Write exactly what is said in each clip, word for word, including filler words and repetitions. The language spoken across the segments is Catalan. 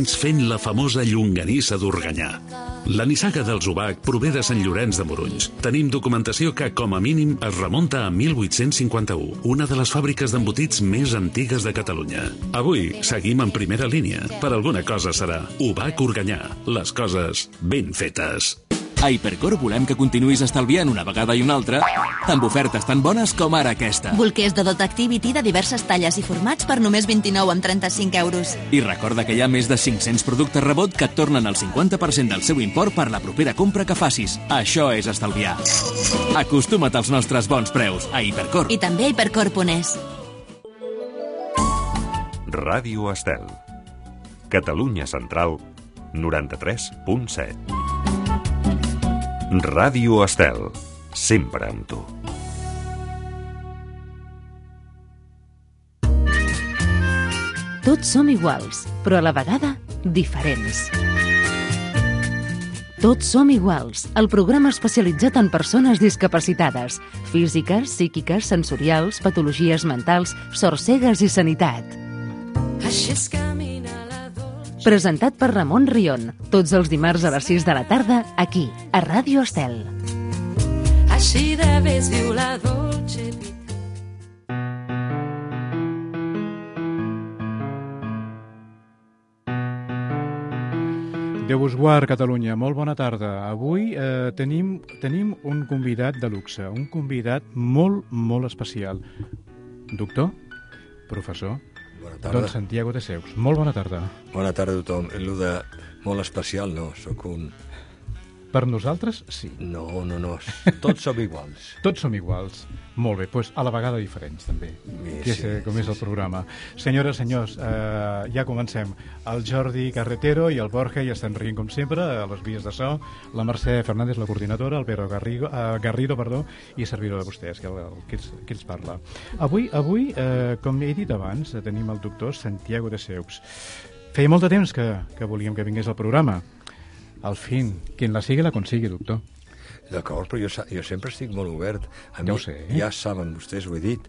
fent la famosa llonganissa d'Organyà. La nissaga dels Ubac prové de Sant Llorenç de Morunys. Tenim documentació que, com a mínim, es remunta a mil vuit-cents cinquanta-u, una de les fàbriques d'embotits més antigues de Catalunya. Avui seguim en primera línia. Per alguna cosa serà Ubac Organyà. Les coses ben fetes. A Hipercor volem que continuïs estalviant una vegada i una altra amb ofertes tan bones com ara aquesta. Bolquers de Dot Activity de diverses talles i formats per només vint-i-nou coma trenta-cinc euros. I recorda que hi ha més de cinc-cents productes rebot que et tornen el cinquanta per cent del seu import per la propera compra que facis. Això és estalviar. Acostuma't als nostres bons preus a Hipercor. I també a hipercor punt es. Ràdio Estel. Catalunya Central, noranta-tres punt set. Ràdio Estel, sempre amb tu. Tots som iguals, però a la vegada diferents. Tots som iguals, el programa especialitzat en persones discapacitades, físiques, psíquiques, sensorials, patologies mentals, sordcegues i sanitat. Presentat per Ramon Rion, tots els dimarts a les sis de la tarda, aquí, a Ràdio Estel. Així de vés viu la dolce vita. Déu us guard, Catalunya. Molt bona tarda. Avui eh, tenim, tenim un convidat de luxe, un convidat molt, molt especial. Doctor? Professor? Bona tarda. Don Santiago de Seux. Molt bona tarda. Bona tarda a tothom. El de molt especial, no. Soc un... Per nosaltres, sí. No, no, no. Tots som iguals. Tots som iguals. Molt bé, doncs a la vegada diferents, també. Sí, que és, sí, com sí, és el sí. programa. Senyores, senyors, eh, ja comencem. El Jordi Carretero i el Borja ja estan rient, com sempre, a les vies de so. La Mercè Fernández, la coordinadora, el Pedro Garrigo, eh, Garrido, perdó, i servidor de vostès, que, el, que, els, que els parla. Avui, avui eh, com he dit abans, tenim el doctor Santiago de Seux. Feia molt de temps que, que volíem que vingués al programa. Al fin, quien la sigue la consigue, doctor. D'acord, però jo, jo sempre estic molt obert. A ja mi, ho sé. Eh? Ja saben vostès, ho he dit,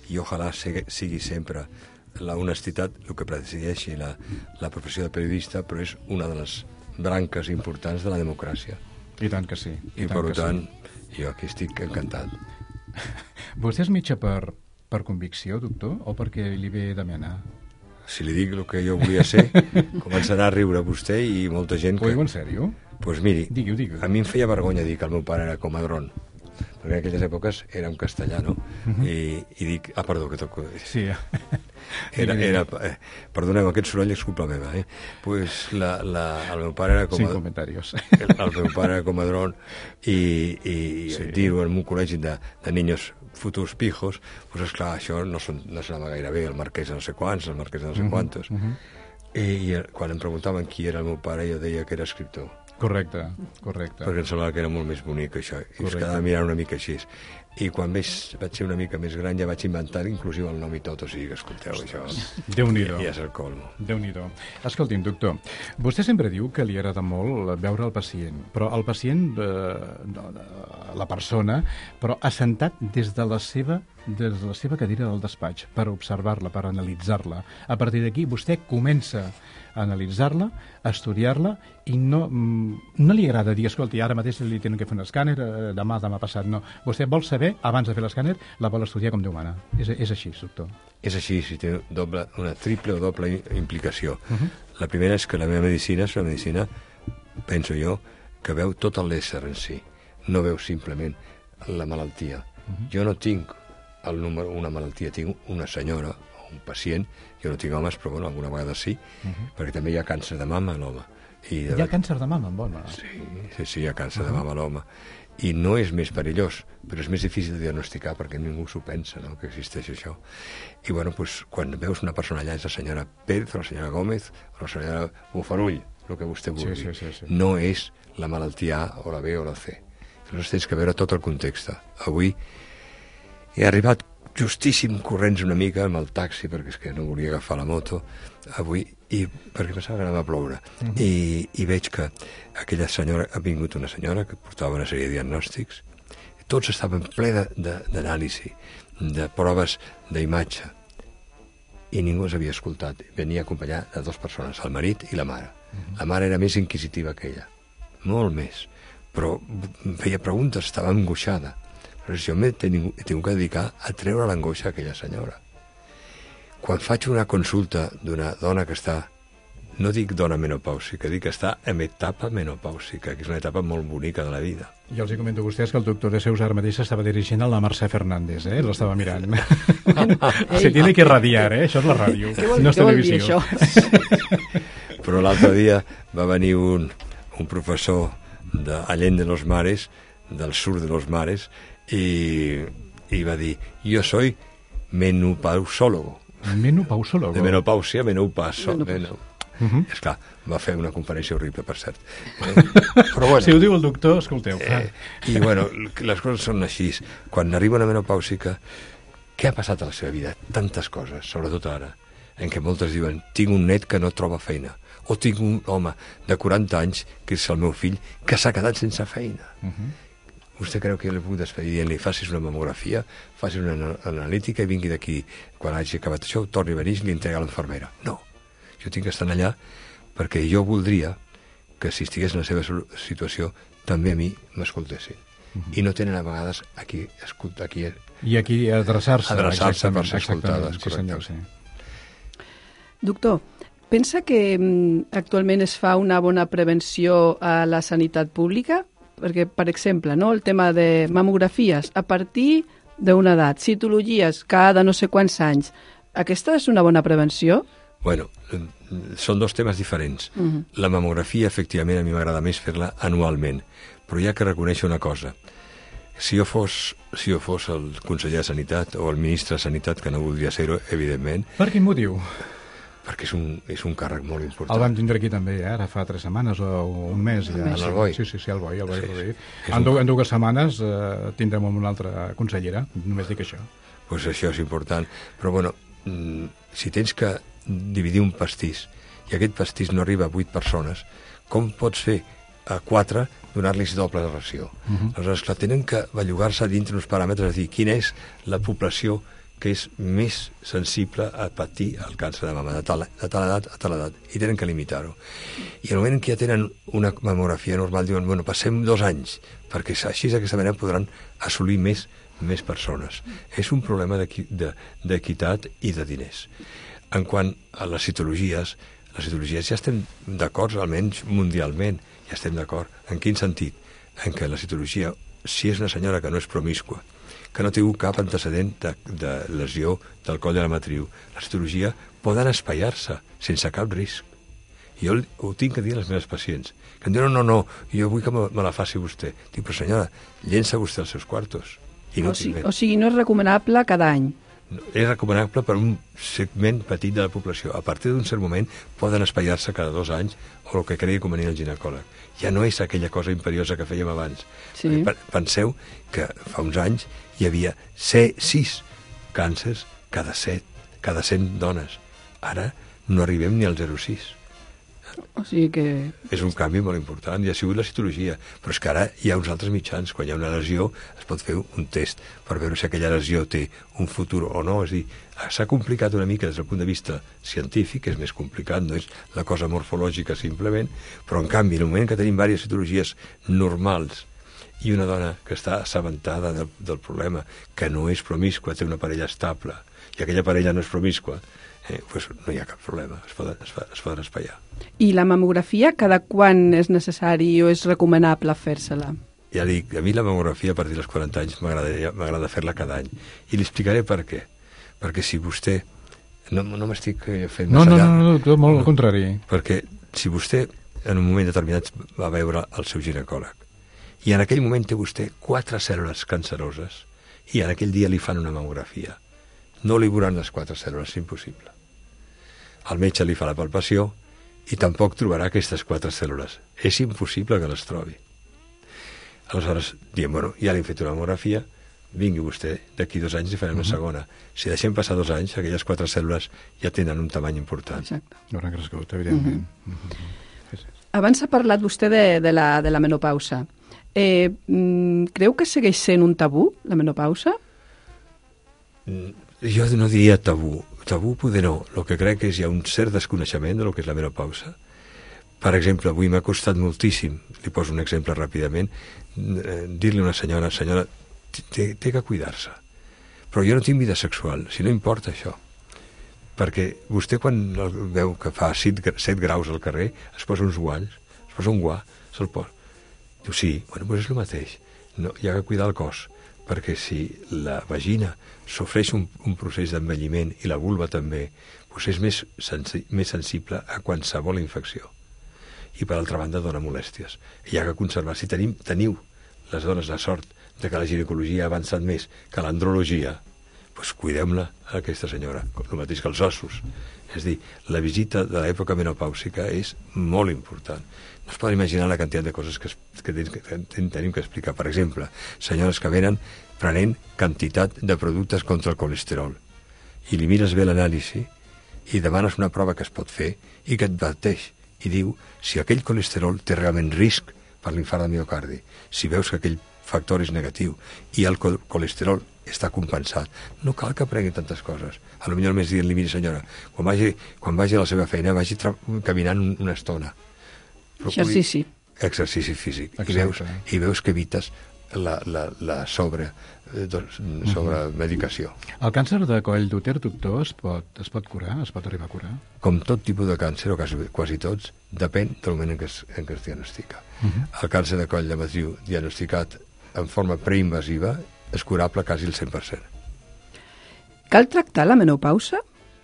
i ojalà sigui, sigui sempre la honestitat el que presideixi la, la professió de periodista, però és una de les branques importants de la democràcia. I tant que sí. I, I tant per tant, sí. jo aquí estic encantat. Vostè és metge per, per convicció, doctor, o perquè li ve de mena? Si li dic el que jo volia ser, començarà a riure vostè i molta gent que... Ho diu en sèrio? Doncs pues miri, digui-ho, digui-ho. A mi em feia vergonya dir que el meu pare era comadrón, perquè en aquelles èpoques era un castellà, no? Uh-huh. I, I dic... Ah, perdó, que toco... Sí. Era, era, eh, perdoneu, aquest soroll és culpa meva, eh? Pues la, la, el meu pare era comadrón. Sin comentarios. El, el meu pare era comadrón i, i sí. dir-ho en un col·legi de, de niños futurs pijos, pues esclar, això no, son, no sonava gaire bé, el marquès de no sé quants, el marquès de no sé quantos. Uh -huh. I, I quan em preguntaven qui era el meu pare, jo deia que era escriptor. Correcte, correcte. Perquè em semblava que era molt més bonic, això. I es quedava mirant una mica així. I quan més, vaig ser una mica més gran ja vaig inventar inclusive el nom i tot, o sigui que escolteu, això Déu-n'hi-do. ja és el colmo. Déu-n'hi-do. Escolti'm, doctor, vostè sempre diu que li agrada molt veure el pacient, però el pacient, eh, la persona, però assentat des de la seva des de la seva cadira del despatx per observar-la, per analitzar-la. A partir d'aquí vostè comença a analitzar-la, a estudiar-la i no, no li agrada dir, escolti, ara mateix li tenen que fer un escàner, demà, demà passat, no. Vostè vol saber, abans de fer l'escàner, la vol estudiar com Déu mana. És, és així, doctor. És així, si té doble, una triple o doble implicació. Uh -huh. La primera és que la meva medicina és una medicina, penso jo, que veu tot l'ésser en si. No veu simplement la malaltia. Uh -huh. Jo no tinc el número, una malaltia, tinc una senyora o un pacient, jo no tinc homes, però bueno, alguna vegada sí, uh -huh. perquè també hi ha càncer de mama a l'home. I de... Hi ha càncer de mama en home? Sí, sí, sí, hi ha càncer uh -huh. de mama a l'home. I no és més perillós, però és més difícil de diagnosticar perquè ningú s'ho pensa, no?, que existeix això. I bueno, doncs, quan veus una persona allà, és la senyora Pérez, o la senyora Gómez, o la senyora Bufarull, el que vostè vulgui. Sí, sí, sí, sí. No és la malaltia A o la B o la C. Llavors tens que veure tot el context. Avui he arribat justíssim corrents una mica amb el taxi, perquè és que no volia agafar la moto avui, i perquè pensava que anava a ploure. Uh -huh. I, I veig que aquella senyora, ha vingut una senyora que portava una sèrie de diagnòstics, tots estaven ple d'anàlisi, de, de, de proves d'imatge. i ningú els havia escoltat. Venia acompanyat de dues persones, el marit i la mare. La mare era més inquisitiva que ella, molt més, però feia preguntes, estava angoixada. Però jo m'he tingut que dedicar a treure l'angoixa a aquella senyora. Quan faig una consulta d'una dona que està, no dic dona menopàusica, dic que està en etapa menopàusica, que és una etapa molt bonica de la vida. Jo els hi comento a vostès que el doctor de Seus ara mateix estava dirigint a la Mercè Fernández, eh? L'estava mirant. Se tiene que radiar, eh? Això és la ràdio, no és televisió. Però l'altre dia va venir un, un professor de Allende de los Mares, del sur de los Mares, i, i va dir, jo soy menopausólogo. Menopausólogo? De menopàusia, menopauso. Menopauso. Uh -huh. Esclar, va fer una conferència horrible, per cert. Eh? Però bueno, si ho diu el doctor, escolteu. Eh, I bueno, les coses són així. Quan arriba una menopàusica, què ha passat a la seva vida? Tantes coses, sobretot ara, en què moltes diuen, tinc un net que no troba feina, o tinc un home de quaranta anys, que és el meu fill, que s'ha quedat sense feina. Uh -huh. Vostè creu que jo li puc despedir dient-li, facis una mamografia, facis una analítica i vingui d'aquí, quan hagi acabat això, torni a venir i li entrega a l'infermera? No. Jo tinc que estar allà perquè jo voldria que si estigués en la seva situació també a mi m'escoltessin. Uh -huh. I no tenen a vegades a qui escoltar, aquí i aquí adreçar-se adreçar-se per ser escoltades. Sí, senyor, sí. Doctor, pensa que mm, actualment es fa una bona prevenció a la sanitat pública? Perquè, per exemple, no, el tema de mamografies a partir d'una edat, citologies cada no sé quants anys, aquesta és una bona prevenció? Bueno, són dos temes diferents. Uh -huh. La mamografia, efectivament, a mi m'agrada més fer-la anualment, però hi ha que reconèixer una cosa. Si jo fos, si jo fos el conseller de Sanitat o el ministre de Sanitat, que no voldria ser-ho, evidentment... Per quin motiu? Perquè és un, és un càrrec molt important. El vam tindre aquí també, eh? Ara fa tres setmanes o un mes. Ja. En el Boi? Sí, sí, sí, el Boi, el Boi sí, Rodríguez. En, un... en dues setmanes eh, tindrem una altra consellera, només dic això. Doncs pues això és important. Però, bueno, si tens que dividir un pastís i aquest pastís no arriba a vuit persones, com pots fer a quatre donar-los doble de ració? Uh -huh. Aleshores, clar, tenen que bellugar-se dintre uns paràmetres, és a dir, quina és la població que és més sensible a patir el càncer de mama, de tal, de tal edat a tal edat, i tenen que limitar-ho. I al moment que ja tenen una mamografia normal, diuen, bueno, passem dos anys, perquè així d'aquesta manera podran assolir més, més persones. És un problema d'equitat i de diners. En quant a les citologies, les citologies ja estem d'acord, almenys mundialment, ja estem d'acord. En quin sentit? En què la citologia, si és una senyora que no és promíscua, que no té cap antecedent de, de lesió del coll de la matriu, la citologia poden espaiar-se sense cap risc. Jo ho tinc que dir a les meves pacients, que em diuen, no, no, jo vull que me, me la faci vostè. Dic, però senyora, llença vostè els seus quartos. I no o, sigui, o sigui, no és recomanable cada any. És recomanable per un segment petit de la població. A partir d'un cert moment poden espaiar-se cada dos anys o el que cregui convenient el ginecòleg. Ja no és aquella cosa imperiosa que fèiem abans. Sí. Penseu que fa uns anys hi havia sis càncers cada set, cada cent dones. Ara no arribem ni al zero coma sis. O sigui que... És un canvi molt important i ha sigut la citologia. Però és que ara hi ha uns altres mitjans. Quan hi ha una lesió es pot fer un test per veure si aquella lesió té un futur o no. És a dir, s'ha complicat una mica des del punt de vista científic, és més complicat, no és la cosa morfològica simplement, però en canvi, en el moment que tenim diverses citologies normals i una dona que està assabentada del, del problema, que no és promíscua, té una parella estable, i aquella parella no és promíscua, eh, pues no hi ha cap problema, es poden, es, es poden espaiar. I la mamografia, cada quan és necessari o és recomanable fer-se-la? Ja dic, a mi la mamografia a partir dels quaranta anys m'agrada fer-la cada any. I li explicaré per què. Perquè si vostè... No, no m'estic fent no, massa no, llarg. No, no, no, molt al contrari. Perquè si vostè en un moment determinat va veure el seu ginecòleg i en aquell moment té vostè quatre cèl·lules canceroses i en aquell dia li fan una mamografia, no li veuran les quatre cèl·lules, és impossible. El metge li fa la palpació i tampoc trobarà aquestes quatre cèl·lules. És impossible que les trobi. Aleshores, diem, bueno, ja li hem fet una mamografia, vingui vostè, d'aquí dos anys i farem una segona. Si deixem passar dos anys, aquelles quatre cèl·lules ja tenen un tamany important. Exacte. No hauran crescut, evidentment. Uh -huh. Uh -huh. Sí, sí. Abans ha parlat vostè de, de, la, de la menopausa. Eh, creu que segueix sent un tabú, la menopausa? Jo no diria tabú. tabú poder no. El que crec és hi ha un cert desconeixement del que és la menopausa. Per exemple, avui m'ha costat moltíssim, li poso un exemple ràpidament, dir-li a una senyora, senyora, té, té que cuidar-se. Però jo no tinc vida sexual, si no importa això. Perquè vostè quan veu que fa set graus al carrer, es posa uns guants, es posa un guà, se'l posa. Diu, sí, bueno, doncs és el mateix. No, hi ha que cuidar el cos, perquè si la vagina sofreix un, un procés d'envelliment i la vulva també, doncs és més, sensi, més sensible a qualsevol infecció. I per altra banda dona molèsties. I hi ha que conservar. Si tenim, teniu les dones la sort de que la ginecologia ha avançat més que l'andrologia, doncs cuidem-la a aquesta senyora, el mateix que els ossos. És dir, la visita de l'època menopàusica és molt important. No es poden imaginar la quantitat de coses que, que, que, que tenim que explicar. Per exemple, senyores que venen prenent quantitat de productes contra el colesterol i li mires bé l'anàlisi i demanes una prova que es pot fer i que et adverteix i diu si aquell colesterol té realment risc per l'infart de miocardi, si veus que aquell factor és negatiu i el colesterol està compensat, no cal que prengui tantes coses. A lo millor més dient-li, miri senyora, quan vagi, quan vagi a la seva feina vagi caminant una estona. Procuri... Exercici. Exercici físic. I veus, i veus que evites la, la, la sobre, sobre medicació. El càncer de coll d'úter, doctor, es pot, es pot curar? Es pot arribar a curar? Com tot tipus de càncer, o quasi, quasi tots, depèn del moment en què es, en què es diagnostica. Uh -huh. El càncer de coll de matriu diagnosticat en forma preinvasiva és curable quasi el cent per cent. Cal tractar la menopausa?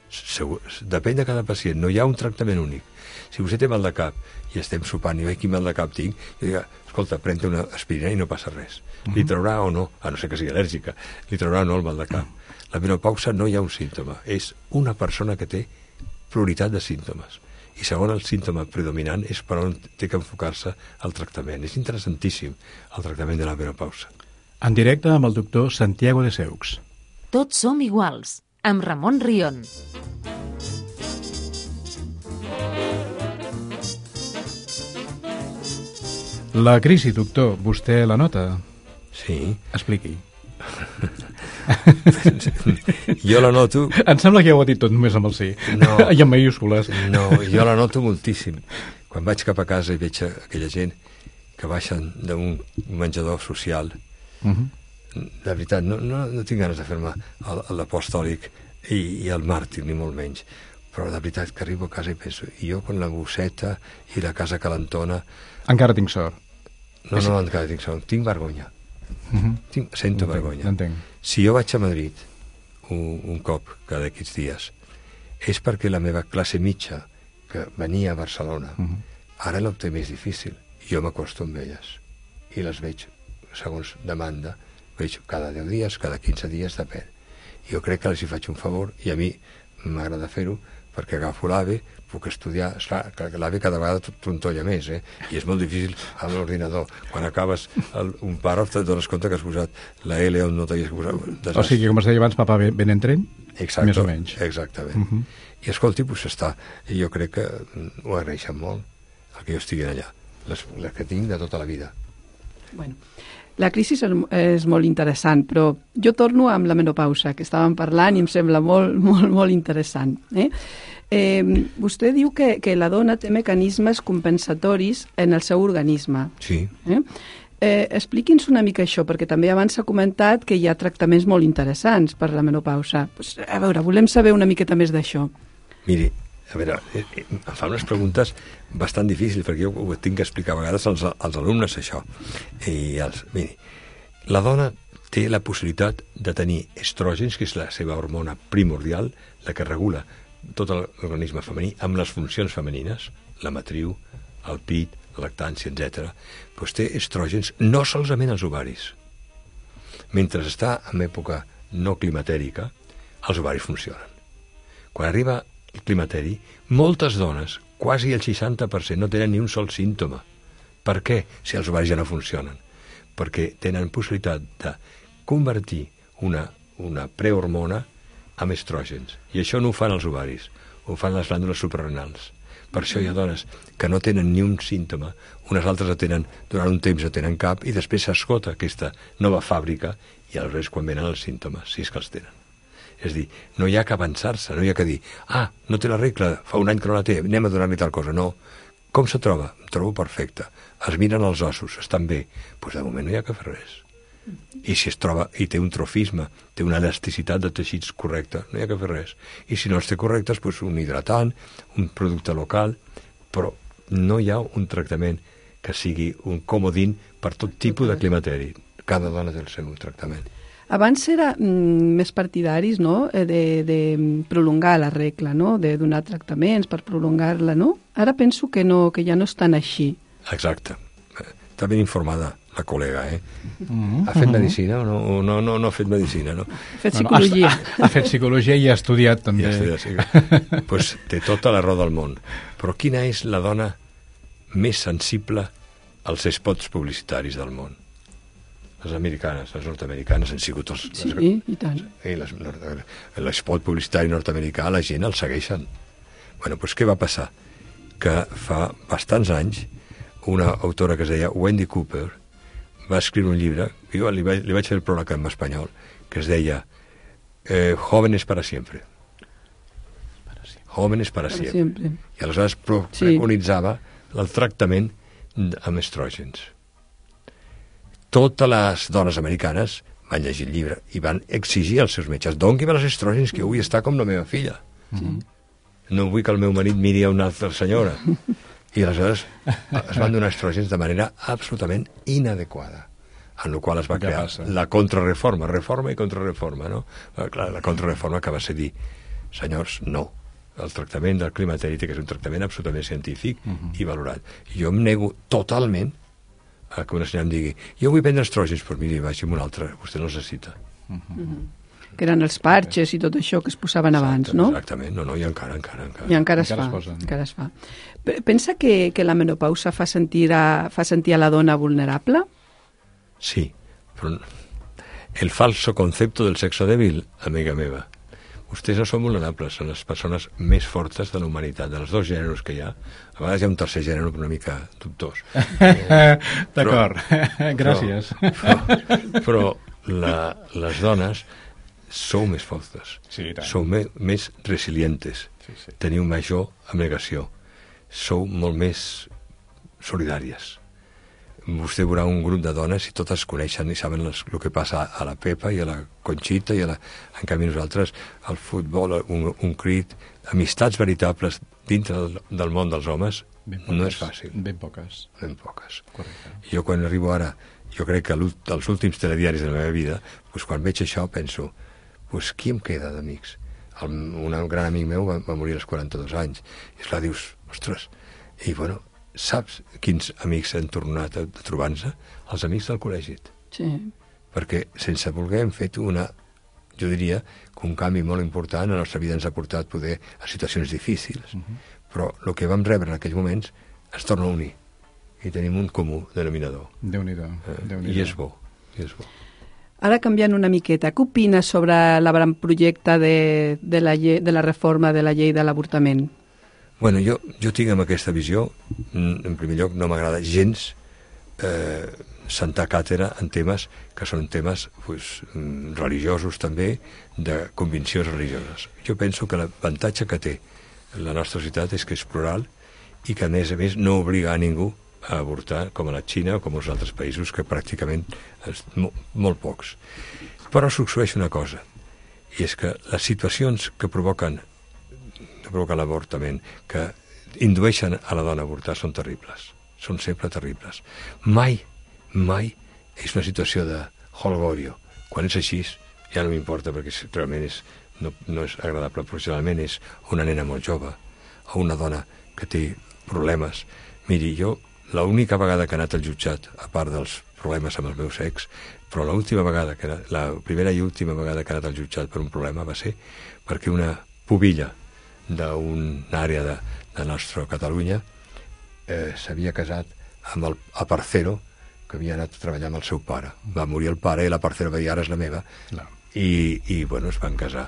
Segur, depèn de cada pacient, no hi ha un tractament únic. Si vostè té mal de cap i estem sopant i veig quin mal de cap tinc, jo dic, escolta, pren-te una aspirina i no passa res. Uh -huh. Li traurà o no, a no ser que sigui al·lèrgica, li traurà o no el mal de cap. Uh -huh. La menopausa no hi ha un símptoma, és una persona que té pluralitat de símptomes. I segon, el símptoma predominant és per on té que enfocar-se el tractament. És interessantíssim el tractament de la menopausa. En directe amb el doctor Santiago de Seux. Tots som iguals, amb Ramon Rion. La crisi, doctor, vostè la nota? Sí. Expliqui. Jo la noto... Em sembla que ja ho ha dit tot només amb el sí. No. I amb mayúscules. No, jo la noto moltíssim. Quan vaig cap a casa i veig aquella gent que baixen d'un menjador social, uh -huh. de veritat, no, no, no tinc ganes de fer-me l'apostòlic i, i el màrtir, ni molt menys. Però de veritat que arribo a casa i penso, i jo con la bosseta i la casa calentona... Encara tinc sort. No, no, encara tinc sort. Tinc vergonya. Uh -huh. tinc, sento entenc, vergonya. Entenc. Si jo vaig a Madrid un, un cop cada aquests dies, és perquè la meva classe mitja, que venia a Barcelona, uh -huh. ara l'opté més difícil. Jo m'acosto amb elles. I les veig, segons demanda, veig cada deu dies, cada quinze dies, depèn. Jo crec que els hi faig un favor, i a mi m'agrada fer-ho, perquè agafo l'AVE, puc estudiar, esclar, que l'AVE cada vegada trontolla més, eh? I és molt difícil amb l'ordinador. Quan acabes el, un pàrraf et dones compte que has posat la L on no t'havies posat. Desastre. O sigui, com es deia abans, papa ben en tren? Exacte, més o menys. Exactament. Uh -huh. I escolti, pues està, i jo crec que ho agraeixen molt, el que jo estigui allà, les, les que tinc de tota la vida. Bueno, la crisi és, és molt interessant, però jo torno amb la menopausa, que estàvem parlant i em sembla molt, molt, molt interessant. Eh? Eh, vostè diu que, que la dona té mecanismes compensatoris en el seu organisme. Sí. Eh? Eh, expliqui'ns una mica això, perquè també abans s'ha comentat que hi ha tractaments molt interessants per la menopausa. Pues, a veure, volem saber una miqueta més d'això. Miri, a veure, eh, eh, em fa unes preguntes bastant difícils, perquè jo ho tinc que explicar a vegades als, als alumnes, això. I els, miri, la dona té la possibilitat de tenir estrògens, que és la seva hormona primordial, la que regula tot l'organisme femení, amb les funcions femenines, la matriu, el pit, la lactància, etcètera, doncs té estrògens no solament als ovaris. Mentre està en època no climatèrica, els ovaris funcionen. Quan arriba el climateri, moltes dones, quasi el seixanta per cent, no tenen ni un sol símptoma. Per què? Si els ovaris ja no funcionen. Perquè tenen possibilitat de convertir una, una prehormona amb estrògens. I això no ho fan els ovaris, ho fan les glàndules suprarrenals. Per això hi ha dones que no tenen ni un símptoma, unes altres tenen, durant un temps no tenen cap, i després s'esgota aquesta nova fàbrica i aleshores quan venen els símptomes, si és que els tenen. És dir, no hi ha que avançar-se, no hi ha que dir, ah, no té la regla, fa un any que no la té, anem a donar-li tal cosa. No. Com se troba? Em trobo perfecte. Es miren els ossos, estan bé. Doncs pues de moment no hi ha que fer res. I si es troba i té un trofisme, té una elasticitat de teixits correcta, no hi ha que fer res. I si no els té correctes, doncs un hidratant, un producte local, però no hi ha un tractament que sigui un comodín per tot tipus de climateri. Cada dona té el seu tractament. Abans era mm, més partidaris, no?, de, de prolongar la regla, no?, de donar tractaments per prolongar-la, no? Ara penso que, no, que ja no és tan així. Exacte. Està ben informada la col·lega, eh? Mm-hmm. Ha fet medicina o no, no, no, no ha fet medicina, no? Ha fet psicologia. No, no, ha, ha fet psicologia i ha estudiat també. I ha estudiat, sí. Pues té tota la raó del món. Però quina és la dona més sensible als spots publicitaris del món? Les americanes, les nord-americanes han sigut els... Sí, les, i tant. I les, l'espot publicitari nord-americà, la gent el segueixen. Bueno, doncs què va passar? Que fa bastants anys una autora que es deia Wendy Cooper va escriure un llibre, jo li vaig, li vaig fer el pròleg en espanyol, que es deia eh, Jóvenes para siempre. Jóvenes para, para siempre. siempre. I aleshores pro, sí. preconitzava el tractament amb estrògens. Totes les dones americanes van llegir el llibre i van exigir als seus metges, doni-me les estrògens que vull estar com la meva filla. Sí. No vull que el meu marit miri a una altra senyora. I aleshores es van donar estrògens de manera absolutament inadequada, en la qual es va crear la contrarreforma, reforma i contrarreforma, no? Clar, la contrarreforma que va ser dir, senyors, no, el tractament del climateri té que ser un tractament absolutament científic uh-huh. i valorat. I jo em nego totalment a que una senyora em digui, jo vull prendre estrògens, però miri, vagi amb un altre, vostè no els necessita. Uh-huh. Uh-huh. Que eren els parxes i tot això que es posaven abans, no? Exactament, no, no, i encara, encara, encara. I encara es encara fa, es encara es fa. Pensa que, que la menopausa fa sentir, a, fa sentir a la dona vulnerable? Sí, però el falso concepto del sexo débil, amiga meva. Vostès no són vulnerables, són les persones més fortes de la humanitat, dels dos gèneres que hi ha. A vegades hi ha un tercer gènere una mica dubtós. D'acord, gràcies. Però, però, però la, les dones sou més fortes, sí, sou me, més resilientes, sí, sí. Teniu major abnegació, sou molt més solidàries. Vostè veurà un grup de dones i totes coneixen i saben les, el que passa a la Pepa i a la Conxita i a la... En canvi nosaltres, el futbol, un, un crit, amistats veritables dintre del, del món dels homes, ben poques, no és fàcil. Ben poques. Ben poques. Correcte. Jo quan arribo ara, jo crec que els últims telediaris de la meva vida, doncs quan veig això penso, doncs qui em queda d'amics? El, un gran amic meu va, va morir als quaranta-dos anys. I esclar, dius, ostres, i bueno, saps quins amics han tornat a, a trobar-se? Els amics del col·legi. Sí. Perquè sense voler hem fet una, jo diria, que un canvi molt important, la nostra vida ens ha portat poder a situacions difícils, uh-huh. però el que vam rebre en aquells moments ens torna a unir i tenim un comú denominador. Déu-n'hi-do. Eh, Déu-n'hi-do. I és bo, i és bo. Ara canviant una miqueta, què opines sobre l'avantprojecte de, de, la llei, de la reforma de la llei de l'avortament? Bueno, jo, jo tinc amb aquesta visió, en primer lloc no m'agrada gens eh, sentar càtedra en temes que són temes pues, religiosos també, de conviccions religioses. Jo penso que l'avantatge que té la nostra societat és que és plural i que a més a més no obliga a ningú a avortar com a la Xina o com als altres països que pràcticament és mo, molt pocs. Però succeeix una cosa, i és que les situacions que provoquen que provoquen l'avortament, que indueixen a la dona a avortar, són terribles. Són sempre terribles. Mai, mai és una situació de holgorio. Quan és així, ja no m'importa, perquè realment és, no, no és agradable. Professionalment és una nena molt jove, o una dona que té problemes. Miri, jo, l'única vegada que he anat al jutjat, a part dels problemes amb els meus ex, però l'última vegada, que era, la primera i última vegada que he anat al jutjat per un problema va ser perquè una pubilla d'una àrea de, de nostra Catalunya eh, s'havia casat amb el aparcero que havia anat a treballar amb el seu pare. Va morir el pare i la parcera va dir, ara és la meva. No. I, i bueno, es van casar.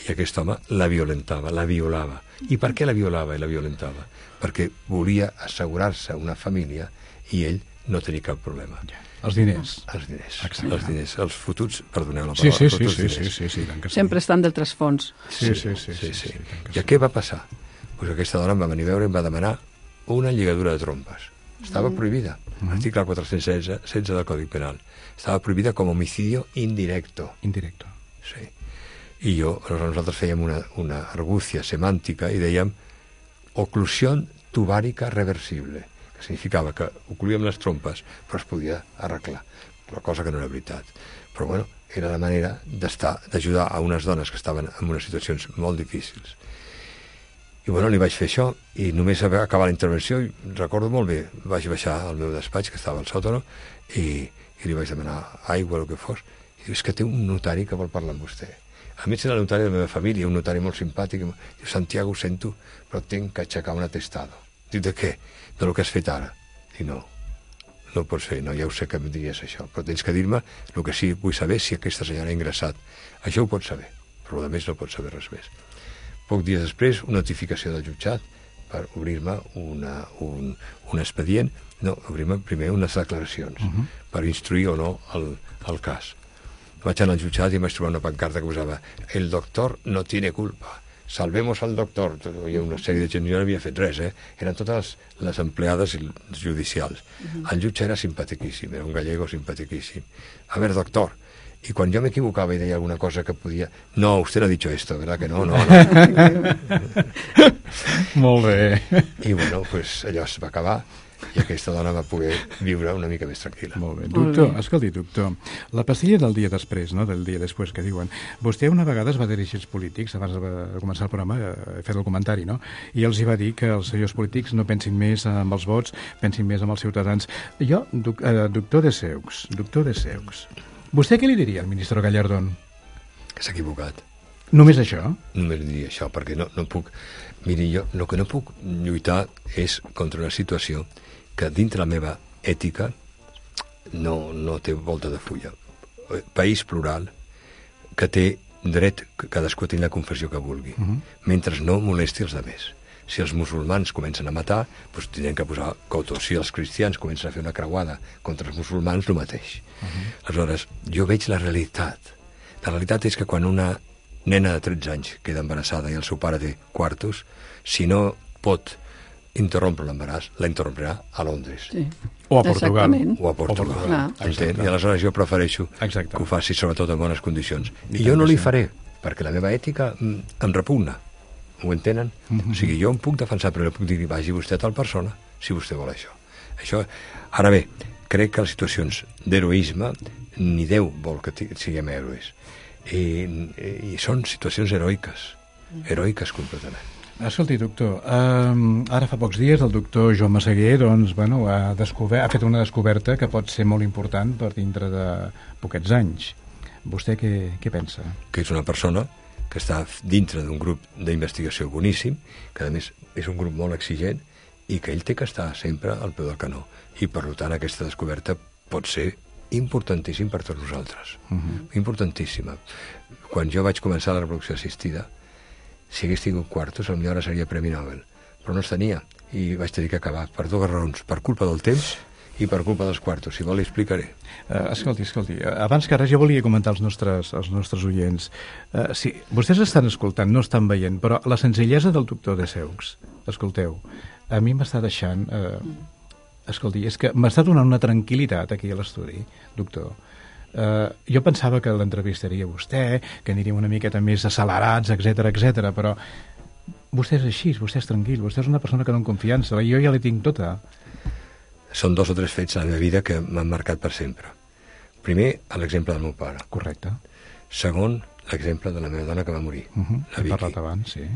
I aquest home la violentava, la violava. I per què la violava i la violentava? Perquè volia assegurar-se una família i ell no tenir cap problema. Ja. Els diners. Els diners. Exacte. Els diners. Els fotuts, perdoneu la Sí, paraula. sí, els sí, fotuts sí, diners. sí, sí, sí, tant que sí. Sempre estan del trasfons. Sí, sí, sí. sí, sí, sí. sí, tant que I sí. què va passar? Pues aquesta dona em va venir a veure i em va demanar una lligadura de trompes. Estava Mm. prohibida. Article quatre-cents setze del Codi Penal. Estava prohibida com homicidio indirecto. Indirecto. Sí. I jo, nosaltres fèiem una, una argúcia semàntica i dèiem oclusión tubàrica reversible, que significava que ocluíem les trompes però es podia arreglar, però cosa que no era veritat. Però bueno, era la manera d'estar, d'ajudar a unes dones que estaven en unes situacions molt difícils. I bueno, li vaig fer això i només va acabar la intervenció i recordo molt bé, vaig baixar al meu despatx que estava al sòtano i, i li vaig demanar aigua o el que fos i diu, és que té un notari que vol parlar amb vostè. A mi era el notari de la meva família, un notari molt simpàtic. Diu, Santiago, ho sento, però tinc que aixecar un atestado. Diu, de què? De lo que has fet ara. Diu, no, no ho pots fer, no, ja ho sé que em diries això, però tens que dir-me el que sí vull saber si aquesta senyora ha ingressat. Això ho pots saber, però a més no pots saber res més. Poc dies després, una notificació del jutjat per obrir-me una, un, un expedient, no, obrir-me primer unes declaracions, uh -huh. per instruir o no el, el cas. Vaig anar al jutjat i em vaig trobar una pancarta que posava el doctor no tiene culpa, salvemos al doctor. Hi ha una sèrie de gent, jo no havia fet res, eh? Eren totes les empleades judicials. Uh -huh. El jutge era simpatiquíssim, era un gallego simpatiquíssim. A ver, doctor, y cuando yo me equivocaba y decía alguna cosa que podía... No, usted no ha dicho esto, ¿verdad que no? No, no. Molt bé. I bueno, pues allò es va acabar i aquesta dona va poder viure una mica més tranquil·la. Molt bé. Doctor, escolti, doctor, la pastilla del dia després, no?, del dia després que diuen, vostè una vegada es va dirigir als polítics, abans de començar el programa, he fet el comentari, no?, i els hi va dir que els senyors polítics no pensin més amb els vots, pensin més amb els ciutadans. Jo, doc, eh, doctor de Seux, doctor de Seux, vostè què li diria al ministre Gallardón? Que s'ha equivocat. Només això? Només diria això, perquè no, no puc... Miri, jo el que no puc lluitar és contra una situació que dintre la meva ètica no, no té volta de fulla. País plural que té dret que cadascú a tenir la confessió que vulgui, uh -huh. mentre no molesti els altres. Si els musulmans comencen a matar, doncs tindrem que posar coto. Si els cristians comencen a fer una creuada contra els musulmans, el mateix. Uh -huh. Aleshores, jo veig la realitat. La realitat és que quan una nena de tretze anys queda embarassada i el seu pare té quartos, si no pot interrompre l'embaràs, la interromperà a Londres. Sí. O a Portugal. Exactament. O a Portugal. O a Portugal. Entén? I aleshores jo prefereixo Exacte. que ho faci sobretot en bones condicions. I I jo no tant li que sí. faré, perquè la meva ètica mm, em repugna. Ho entenen? Mm-hmm. O sigui, jo em puc defensar, però no puc dir, vagi vostè a tal persona, si vostè vol això. Això. Ara bé, crec que les situacions d'heroisme, ni Déu vol que ti- siguem héroes. I, i són situacions heroiques, heroiques completament. Escolti, doctor, um, ara fa pocs dies el doctor Joan Massaguer doncs, bueno, ha, descobert, ha fet una descoberta que pot ser molt important per dintre de poquets anys. Vostè què, què pensa? Que és una persona que està dintre d'un grup d'investigació boníssim, que a més és un grup molt exigent i que ell té que estar sempre al peu del canó. I per tant aquesta descoberta pot ser importantíssim per tots nosaltres. Uh-huh. Importantíssima. Quan jo vaig començar la reproducció assistida, si hagués tingut quartos, potser ara seria Premi Nobel. Però no els tenia i vaig tenir que acabar per dues raons, per culpa del temps i per culpa dels quartos. Si vol, li explicaré. Uh, escolti, escolti, abans que res jo volia comentar als nostres, als nostres oients. Uh, sí, vostès estan escoltant, no estan veient, però la senzillesa del doctor de Seux, escolteu, a mi m'està deixant... Uh, escolti, és que m'està donant una tranquil·litat aquí a l'estudi, doctor. Uh, jo pensava que l'entrevistaria vostè, que aniríem una miqueta més accelerats, etc etc, però vostè és així, vostè és tranquil, vostè és una persona que dona confiança, jo ja la tinc tota. Són dos o tres fets a la meva vida que m'han marcat per sempre. Primer, l'exemple del meu pare. Correcte. Segon, l'exemple de la meva dona que va morir, Uh -huh. la Hem Vicky. parlat abans, sí.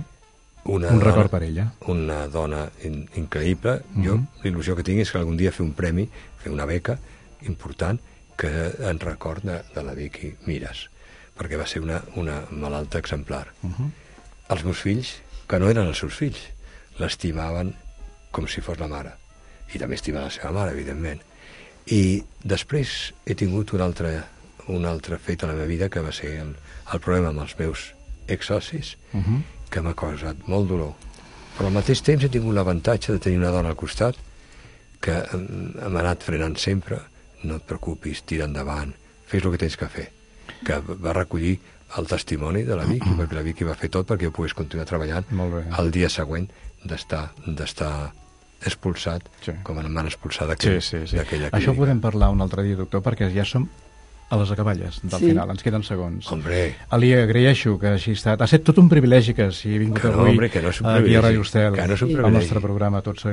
Una Un dona, record per ella. Una dona in, increïble. Uh -huh. Jo, l'il·lusió que tinc és que algun dia fer un premi, fer una beca important, que en record de, de la Vicky Mires, perquè va ser una, una malalta exemplar. Uh -huh. Els meus fills, que no eren els seus fills, l'estimaven com si fos la mare. I també estimava la seva mare, evidentment. I després he tingut un altre, un altre fet a la meva vida, que va ser el, el problema amb els meus exsocis, uh -huh. que m'ha causat molt dolor. Però al mateix temps he tingut l'avantatge de tenir una dona al costat que hem anat frenant sempre. No et preocupis, tira endavant, fes el que tens que fer. Que va recollir el testimoni de la Vicky, perquè la Vicky va fer tot perquè jo pogués continuar treballant el dia següent d'estar d'estar expulsat, sí. com em van expulsar d'aquella sí, sí, sí. clínica. Això ho podem parlar un altre dia, doctor, perquè ja som a les acaballes del sí. final, ens queden segons. Hombre. Li agraeixo que hagi estat... Ha estat tot un privilegi que hagi vingut que no, avui hombre, que no és un aquí a Ràdio Estel, que no és un al nostre programa. Tots,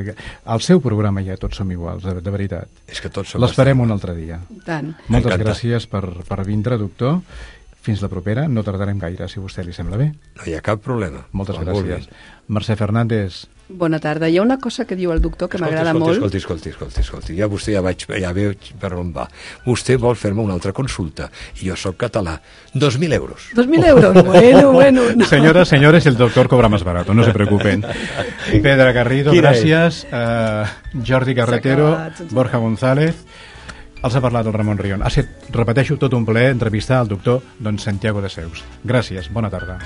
al seu programa ja tots som iguals, de, de veritat. És que tots som l'esperem un altre dia. Tant. Moltes gràcies per, per vindre, doctor. Fins la propera, no tardarem gaire, si a vostè li sembla bé. No hi ha cap problema. Moltes Quan gràcies. Vulguin. Mercè Fernández. Bona tarda. Hi ha una cosa que diu el doctor que m'agrada molt. Escolti, escolti, escolti, escolti. Ja vostè ja vaig, ja veig per on va. Vostè vol fer-me una altra consulta i jo sóc català. Dos mil euros. Dos mil euros, bueno, bueno. No. Senyores, señores, el doctor cobra más barato, no se preocupen. Pedra Garrido, gràcies. Uh, Jordi Carretero, Borja González. Els ha parlat el Ramon Rion. Ha set, repeteixo, tot un plaer entrevistar el doctor don Santiago de Seus. Gràcies, bona tarda.